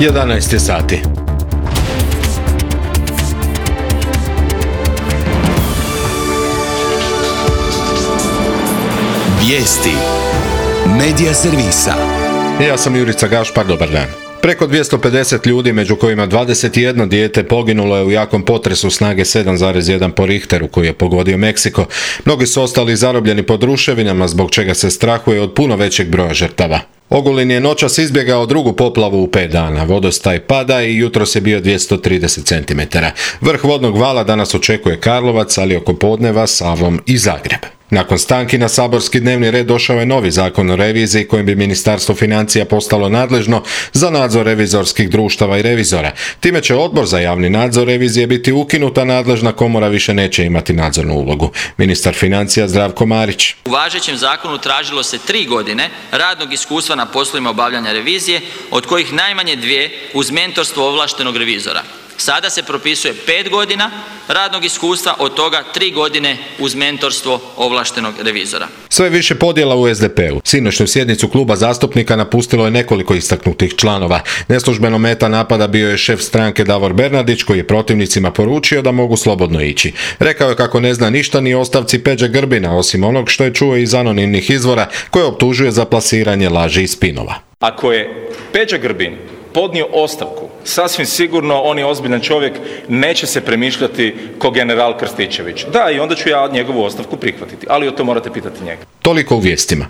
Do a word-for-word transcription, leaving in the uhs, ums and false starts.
jedanaest je sati. Vijesti Medija servisa. Ja sam Jurica Gašpar, dobar dan. Preko dvjesto pedeset ljudi, među kojima dvadeset jedno dijete, poginulo je u jakom potresu snage sedam zarez jedan po Richteru koji je pogodio Meksiko. Mnogi su ostali zarobljeni pod ruševinama, zbog čega se strahuje od puno većeg broja žrtava. Ogulin je noćas izbjegao drugu poplavu u pet dana. Vodostaj pada i jutros je bio dvjesto trideset centimetara. Vrh vodnog vala danas očekuje Karlovac, ali oko podneva Savom i Zagreb. Nakon stanki na saborski dnevni red došao je novi zakon o reviziji kojim bi Ministarstvo financija postalo nadležno za nadzor revizorskih društava i revizora. Time će odbor za javni nadzor revizije biti ukinuta, nadležna komora više neće imati nadzornu ulogu. Ministar financija Zdravko Marić. U važećem zakonu tražilo se tri godine radnog iskustva na poslovima obavljanja revizije, od kojih najmanje dvije uz mentorstvo ovlaštenog revizora. Sada se propisuje pet godina radnog iskustva, od toga tri godine uz mentorstvo ovlaštenog revizora. Sve više podjela u es de pe u. Sinoćnu sjednicu kluba zastupnika napustilo je nekoliko istaknutih članova. Neslužbeno meta napada bio je šef stranke Davor Bernardić, koji je protivnicima poručio da mogu slobodno ići. Rekao je kako ne zna ništa ni o ostavci Peđe Grbina, osim onog što je čuo iz anonimnih izvora koje optužuje za plasiranje laži i spinova. Ako je Peđa Grbin podnio ostavku, sasvim sigurno on je ozbiljan čovjek, neće se premišljati ko general Krstičević. Da, i onda ću ja njegovu ostavku prihvatiti, ali o to morate pitati njega. Toliko u vijestima.